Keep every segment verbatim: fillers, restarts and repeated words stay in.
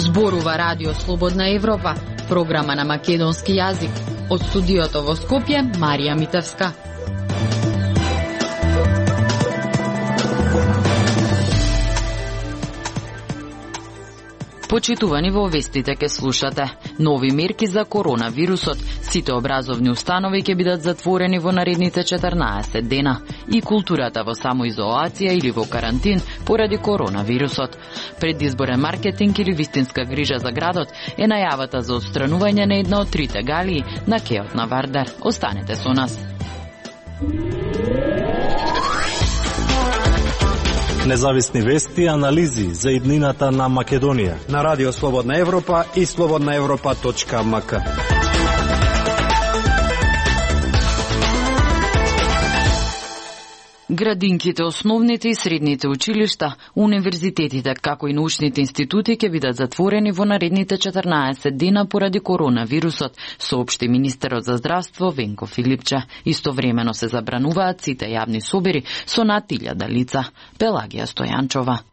Зборува Радио Слободна Европа, програма на македонски јазик. Од студиото во Скопје, Марија Митевска. Почитувани, во вестите ке слушате: нови мерки за коронавирусот, сите образовни установи ќе бидат затворени во наредните четрнаесет дена, и културата во самоизолација или во карантин поради коронавирусот. Предизборен маркетинг или вистинска грижа за градот е најавата за отстранување на една од трите галии на кеот на Вардар. Останете со нас. Независни вести и анализи за иднината на Македонија на Радио Слободна Европа и слободна европа точка ем ка. Градинките, основните и средните училишта, универзитетите, како и научните институти ќе бидат затворени во наредните четрнаесет дена поради коронавирусот, соопшти министерот за здравство Венко Филипче. Истовремено се забрануваат сите јавни собери со над илјада лица. Пелагија Стојанчова.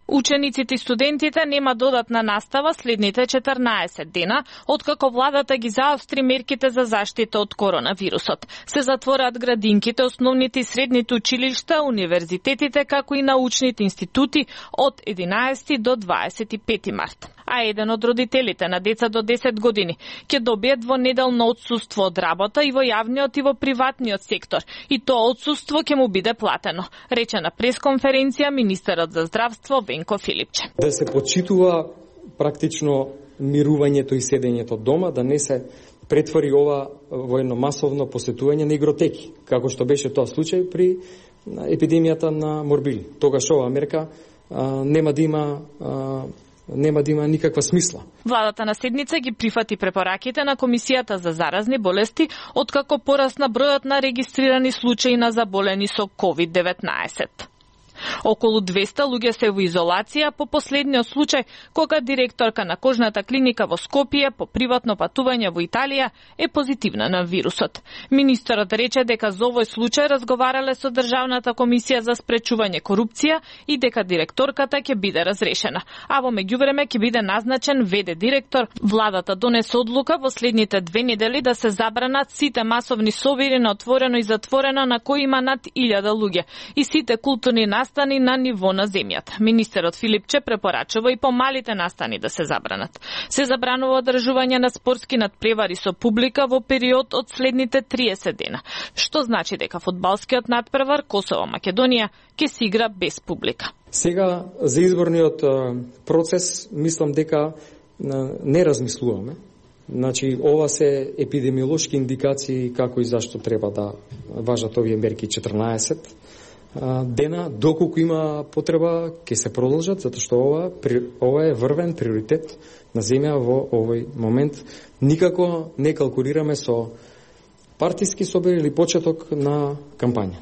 Учениците и студентите нема додатна настава следните четрнаесет дена, откако владата ги заостри мерките за заштита од коронавирусот. Се затвораат градинките, основните и средните училишта, универзитетите, како и научните институти од единаесети до дваесет и пети март. А еден од родителите на деца до десет години ќе добијат двонеделно отсуство од работа и во јавниот и во приватниот сектор, и тоа отсуство ќе му биде платено, рече на пресконференција министерот за здравство Венко Филипче. Да се почитува практично мирувањето и седењето дома, да не се претвори ова во едно масовно посетување на игротеки, како што беше тоа случај при епидемијата на морбили. Тогаш ова мерка а, нема да има а, нема да има никаква смисла. Владата на седница ги прифати препораките на Комисијата за заразни болести, откако порасна бројот на регистрирани случаи на заболени со ковид деветнаесет. Околу двеста луѓе се во изолација по последниот случај кога директорка на кожната клиника во Скопје по приватно патување во Италија е позитивна на вирусот. Министерот рече дека за овој случај разговарале со Државната комисија за спречување корупција и дека директорката ќе биде разрешена, а во меѓувреме ќе биде назначен ве-де директор. Владата донесе одлука во следните две недели да се забранат сите масовни собери на отворено и затворено на кои има над илјада луѓе и сите културни настани на ниво на земјата. Министерот Филипче препорачува и помалите настани да се забранат. Се забранува одржување на спортски надпревари со публика во период од следните триесет дена, што значи дека фудбалскиот надпревар Косово-Македонија ќе се игра без публика. Сега за изборниот процес мислам дека не размислуваме. Значи, ова се епидемиолошки индикации како и зашто треба да важат овие мерки четрнаесет дена, доколку има потреба, ќе се продолжат, затоа што ова, ова е врвен приоритет на земја во овој момент. Никако не калкулираме со партиски собери или почеток на кампања.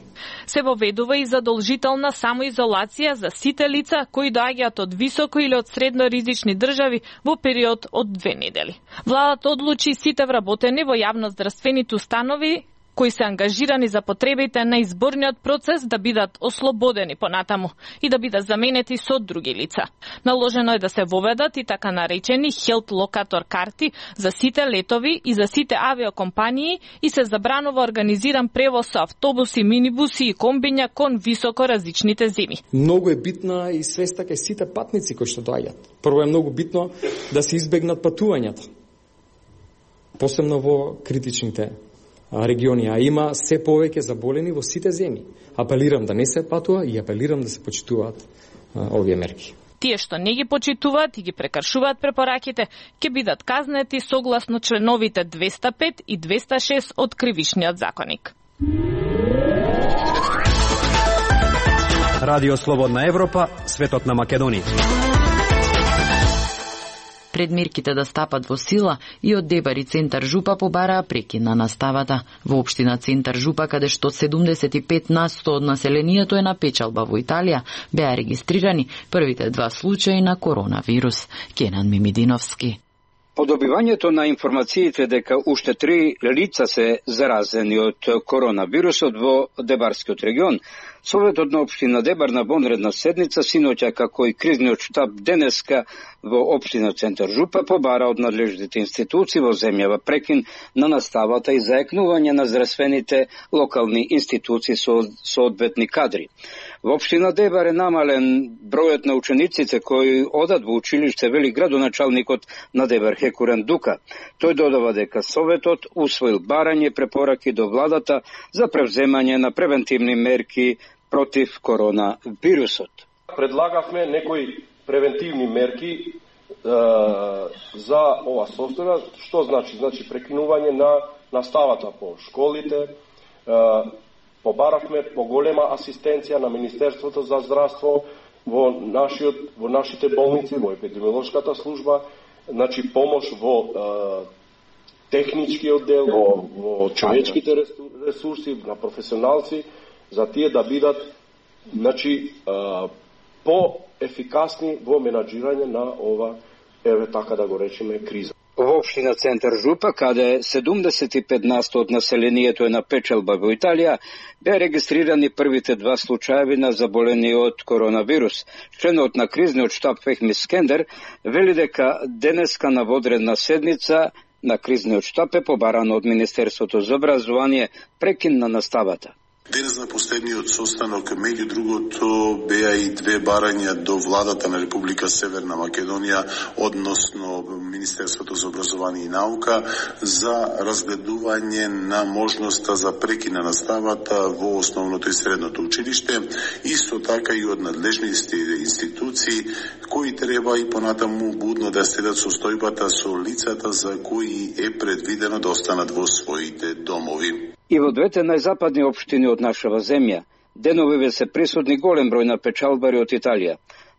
Се воведува и задолжителна самоизолација за сите лица кои доаѓаат од високо или од средно ризични држави во период од две недели. Владата одлучи сите вработени во јавноздравствените установи кои се ангажирани за потребите на изборниот процес да бидат ослободени понатаму и да бидат заменети со други лица. Наложено е да се воведат и така наречени health locator карти за сите летови и за сите авиокомпании и се забранува организиран превоз со автобуси, минибуси и комбиња кон високо различните земи. Многу е битна и свеста кај сите патници кои што доаѓаат. Прво е многу битно да се избегнат патувањата, посебно во критичните региони, а има се повеќе заболени во сите земји. Апелирам да не се патува и апелирам да се почитуваат а, овие мерки. Тие што не ги почитуваат и ги прекршуваат препораките, ќе бидат казнети согласно членовите двеста пет и двеста шест од Кривичниот законник. Радио Слободна Европа, светот на Македонија. Пред мерките да стапат во сила и од Дебар и Центар Жупа побараа прекин на наставата. Во општина Центар Жупа, каде што седумдесет и пет на сто од населението е на печалба во Италија, беа регистрирани првите два случаи на коронавирус. Кенан Мимидиновски. По добивањето на информациите дека уште три лица се заразени од коронавирусот во Дебарскиот регион, Советот на општина Дебар на вонредна седница синоќа како и кризниот штаб денеска во општина Центар Жупа побара од надлежните институции во земјава прекин на наставата и заекнување на здравствените локални институции со соодветни кадри. Во општина Дебар е намален бројот на учениците кои одат во училиште, вели градоначалникот на Дебар Хекурен Дука. Тој додава дека Советот усвоил барање препораки до владата за превземање на превентивни мерки против коронавирусот. Предлагавме некои превентивни мерки е, за ова состојба. Што значи? Значи прекинување на наставата по школите, е, побаравме поголема асистенција на Министерството за здравство во нашиот во нашите болници, во епидемиолошката служба, значи помош во е, техничкиот дел, во, во човечките ресурси, на професионалци, за тие да бидат значи по-ефикасни во менаџирање на ова, еве така да го речеме, криза. Во општина Центар Жупа, каде седумдесет и пет на сто од населението е на печалба во Италија, беа регистрирани првите два случаеви на заболени од коронавирус. Членот на кризниот штаб Фехми Скендер вели дека денеска на водредна седница на кризниот штаб е побарано од Министерството за образование прекин на наставата. Денес на последниот состанок, меѓу другото, беа и две барања до владата на Република Северна Македонија, односно Министерството за образование и наука, за разгледување на можноста за прекин на наставата во основното и средното училиште, исто така и од надлежните институции, кои треба и понатаму будно да следат состојбата со лицата за кои е предвидено да останат во своите домови. И во двете најзападни општини од нашава земја, деновиве се присутни голем број на печалбари од Италија.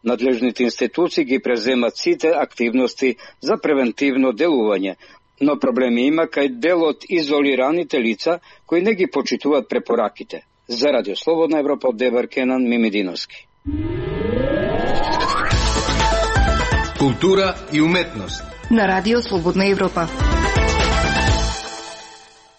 Надлежните институции ги преземат сите активности за превентивно делување, но проблеми има кај дел од изолираните лица кои не ги почитуваат препораките. За Радио Слободна Европа од Дебар Кенан Мимидиновски. Култура и уметност на Радио Слободна Европа.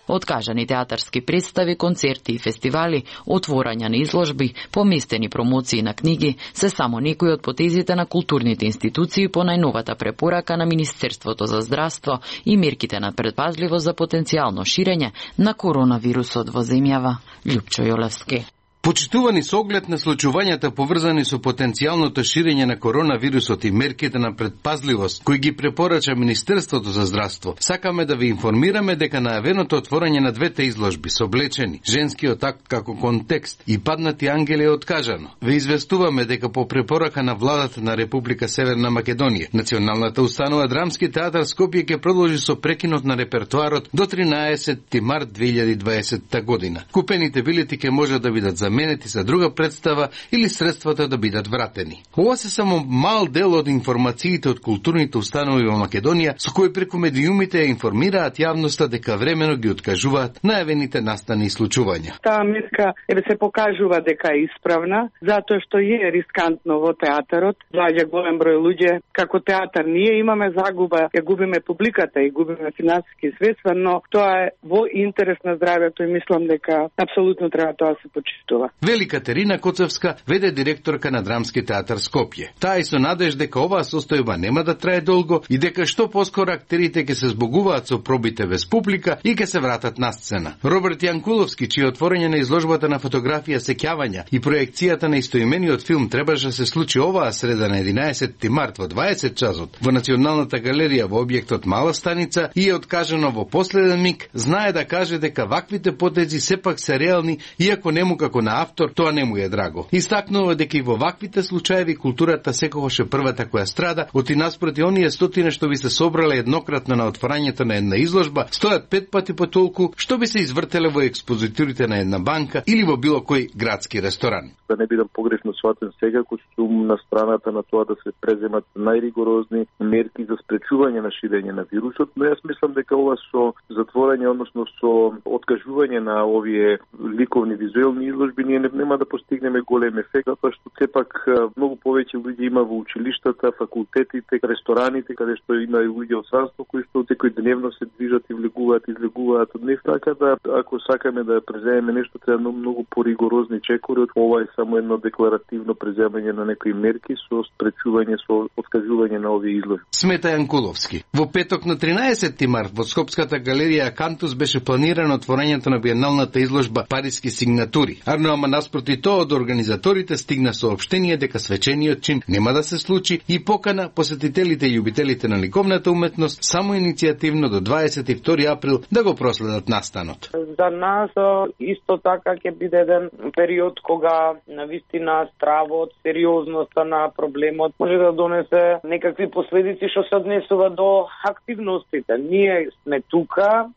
Откажани театарски представи, концерти и фестивали, отворања на изложби, поместени промоции на книги, се само некои од потезите на културните институции по најновата препорака на Министерството за здравство и мерките на предпазливост за потенцијално ширење на коронавирусот во земјава. Љупчо Јолевски. Почитувани со оглед на случувањата поврзани со потенцијалното ширење на коронавирусот и мерките на предпазливост кои ги препорача Министерството за здравство, сакаме да ви информираме дека најавеното отворање на двете изложби со облечени женскиот акт како контекст и паднати ангели е откажано. Ве известуваме дека по препорака на владата на Република Северна Македонија, Националната установа Драмски театар Скопје ќе продолжи со прекинот на репертоарот до тринаесетти март две илјади и дваесетта година. Купените билети ќе можат да бидат заменети за друга представа или средствата да бидат вратени. Ова се само мал дел од информациите од културните установи во Македонија со кои преку медиумите ја информираат јавноста дека времено ги откажуваат најавените настани и случувања. Таа мерка еве се покажува дека е исправна, затоа што е рискантно во театарот. Доаѓа голем број луѓе, како театар ние имаме загуба, ја губиме публиката и губиме финансиски средства, но тоа е во интерес на здравјето и мислам дека апсолутно треба тоа се почитува. Вели Катерина Коцевска, веде директорка на Драмски театар Скопје. Таа и со надеж дека оваа состојба нема да трае долго и дека што поскоро актерите ќе се збогуваат со пробите без публика и ќе се вратат на сцена. Роберт Јанкуловски, чие отворање на изложбата на фотографија Сеќавања и проекцијата на истоимениот филм требаше да се случи оваа среда на единаесетти март во дваесет часот во Националната галерија во објектот Мала станица и е откажано во последен миг, знае да каже дека ваквите потези сепак се реални, иако нему како на автор тоа не му е драго. Истакнува дека и во ваквите случаеви културата секогаш е првата која страда, оти наспроти оние стотини што би се собрале еднократно на отворањето на една изложба, стојат пет пати по толку што би се извртеле во експозитурите на една банка или во било кој градски ресторан. Да не бидам погрешно сватен сега, кој сум на страната на тоа да се преземат најригорозни мерки за спречување на ширење на вирусот, но јас мислам дека ова со затворање, односно со откажување на овие ликовни визуелни изложби можеби ние нема да постигнеме голем ефект, затоа што сепак многу повеќе луѓе има во училиштата, факултетите, рестораните, каде што има и луѓе од странство кои што секојдневно се движат и влегуваат, излегуваат од нив, така да ако сакаме да преземеме нешто треба многу, многу поригорозни чекори. Ова е само едно декларативно преземање на некои мерки со спречување, со откажување на овие изложби. Смета Јанкуловски. Во петок на тринаесетти март во Скопската галерија Акантус беше планирано отворањето на биеналната изложба Париски сигнатури. Арно ама наспроти тоа од организаторите стигна соопштение дека свечениот чин нема да се случи и покана посетителите и љубителите на ликовната уметност само иницијативно до дваесет и втори април да го проследат настанот. За нас исто така ќе биде еден период кога навистина стравот, сериозноста на проблемот може да донесе некакви последици што се однесува до активностите. Ние сме тука,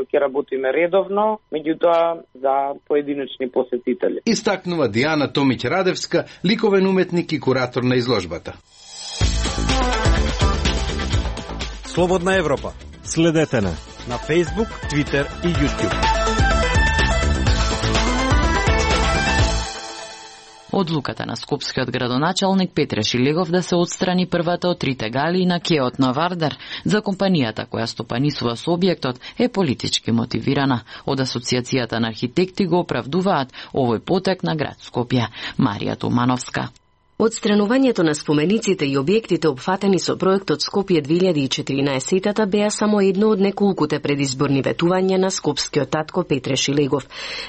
ќе работиме редовно, меѓутоа за поединечни посетители. Истакнува Диана Томиќ-Радевска, ликовен уметник и куратор на изложбата. Слободна Европа. Следете на на Facebook, Twitter и YouTube. Одлуката на скопскиот градоначалник Петре Шилегов да се отстрани првата од трите галии на кеот на Вардар за компанијата која стопанисува со објектот е политички мотивирана. Од Асоциацијата на архитекти го оправдуваат овој потек на град Скопје. Марија Тумановска. Отстранувањето на спомениците и објектите опфатени со проектот Скопје две илјади и четиринаесетта беа само едно од неколкуте предизборни ветувања на скопскиот татко Петре Шилегов.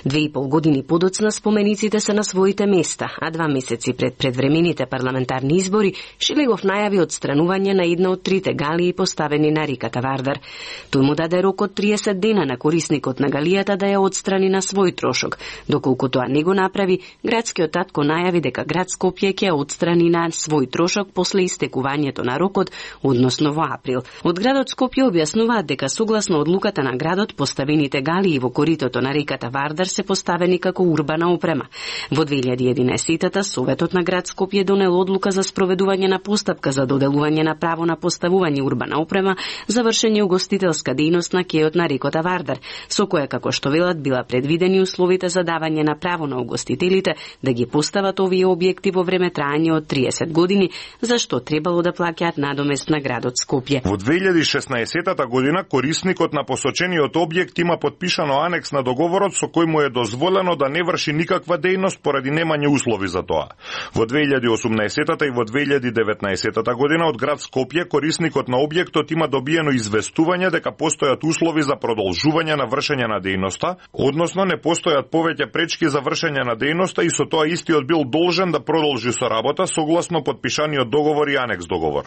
Две и пол години подоцна спомениците се на своите места, а два месеци пред предвремените парламентарни избори Шилегов најави отстранување на една од трите галии поставени на реката Вардар. Тој му даде рок од триесет дена на корисникот на галијата да ја отстрани на свој трошок. Доколку тоа не го направи, градскиот татко најави дека град Скопје ќе отстрани на свој трошок после истекувањето на рокот, односно во април. Од градот Скопје објаснуваат дека согласно одлуката на градот поставените галии во коритото на реката Вардар се поставени како урбана опрема. Во две илјади и единаесетта Советот на град Скопје донел одлука за спроведување на постапка за доделување на право на поставување урбана опрема за вршење угостителска дејност на кеот на реката Вардар, со која како што велат била предвидени условите за давање на право на угостителите да ги постават овие објекти во време трајање од триесет години, зашто требало да плаќаат надомест на градот Скопје. Во две илјади и шеснаесетта година корисникот на посочениот објект има подпишано анекс на договорот со кој му е дозволено да не врши никаква дејност поради немање услови за тоа. Во две илјади и осумнаесетта и во две илјади и деветнаесетта година од град Скопје корисникот на објектот има добиено известување дека постојат услови за продолжување на вршење на дејноста, односно не постојат повеќе пречки за вршење на дејноста и со тоа истиот бил должен да продолжи со работа согласно подпишаниот договор и анекс договор.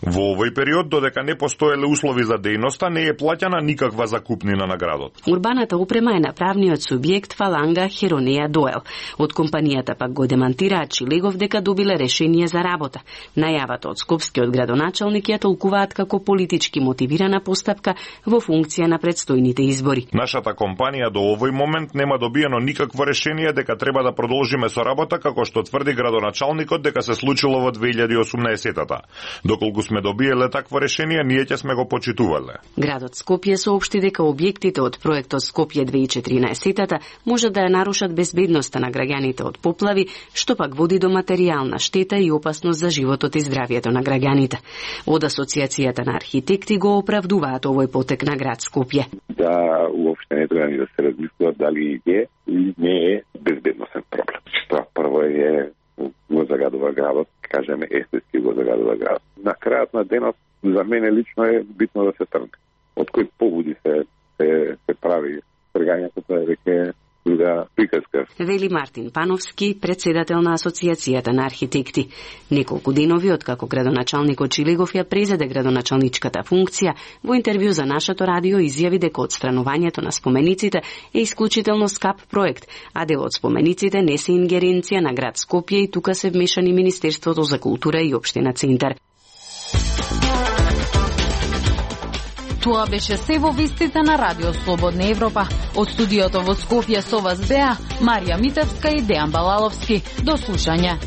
Во овој период, додека не постоеле услови за дејноста, не е плаќана никаква закупнина на градот. Урбаната опрема е на правниот субјект Фаланга Херонеја Доел. Од компанијата пак го демантираат Шилегов дека добиле решение за работа. Најавата од скопскиот градоначалник ја толкуваат како политички мотивирана постапка во функција на предстојните избори. Нашата компанија до овој момент нема добиено никакво решение дека треба да продолжиме со работа, како што тврди градоначалникот дека се случило во две илјади и осумнаесетта. Доколку сме добиеле такво решение, ние ќе сме го почитувале. Градот Скопје соопшти дека објектите од проектот Скопје две илјади и четиринаесетта може да ја нарушат безбедноста на граѓаните од поплави, што пак води до материјална штета и опасност за животот и здравието на граѓаните. Од Асоциацијата на архитекти го оправдуваат овој потек на град Скопје. Да, уопште не треба ни да се размислува дали е или не е безбедносен проблем. Тоа прво е го загадува градот, кажеме естетски го загадува градот. На крајот на денот, за мене лично е битно да се тргне. Од кои поводи се, се, се прави тргањето, тоа е веќе друга приказка. Вели Мартин Пановски, председател на Асоциацијата на архитекти. Неколку денови откако градоначалникот Шилегов ја презеде градоначалничката функција, во интервју за нашето радио изјави дека отстранувањето на спомениците е исклучително скап проект, а дел од спомениците не се ингеренција на град Скопје и тука се вмешани Министерството за култура и Општина Центар. Тоа беше се во вестите на Радио Слободна Европа. Од студиото во Скопје со вас беа Марија Митевска и Дејан Балаловски. До слушање.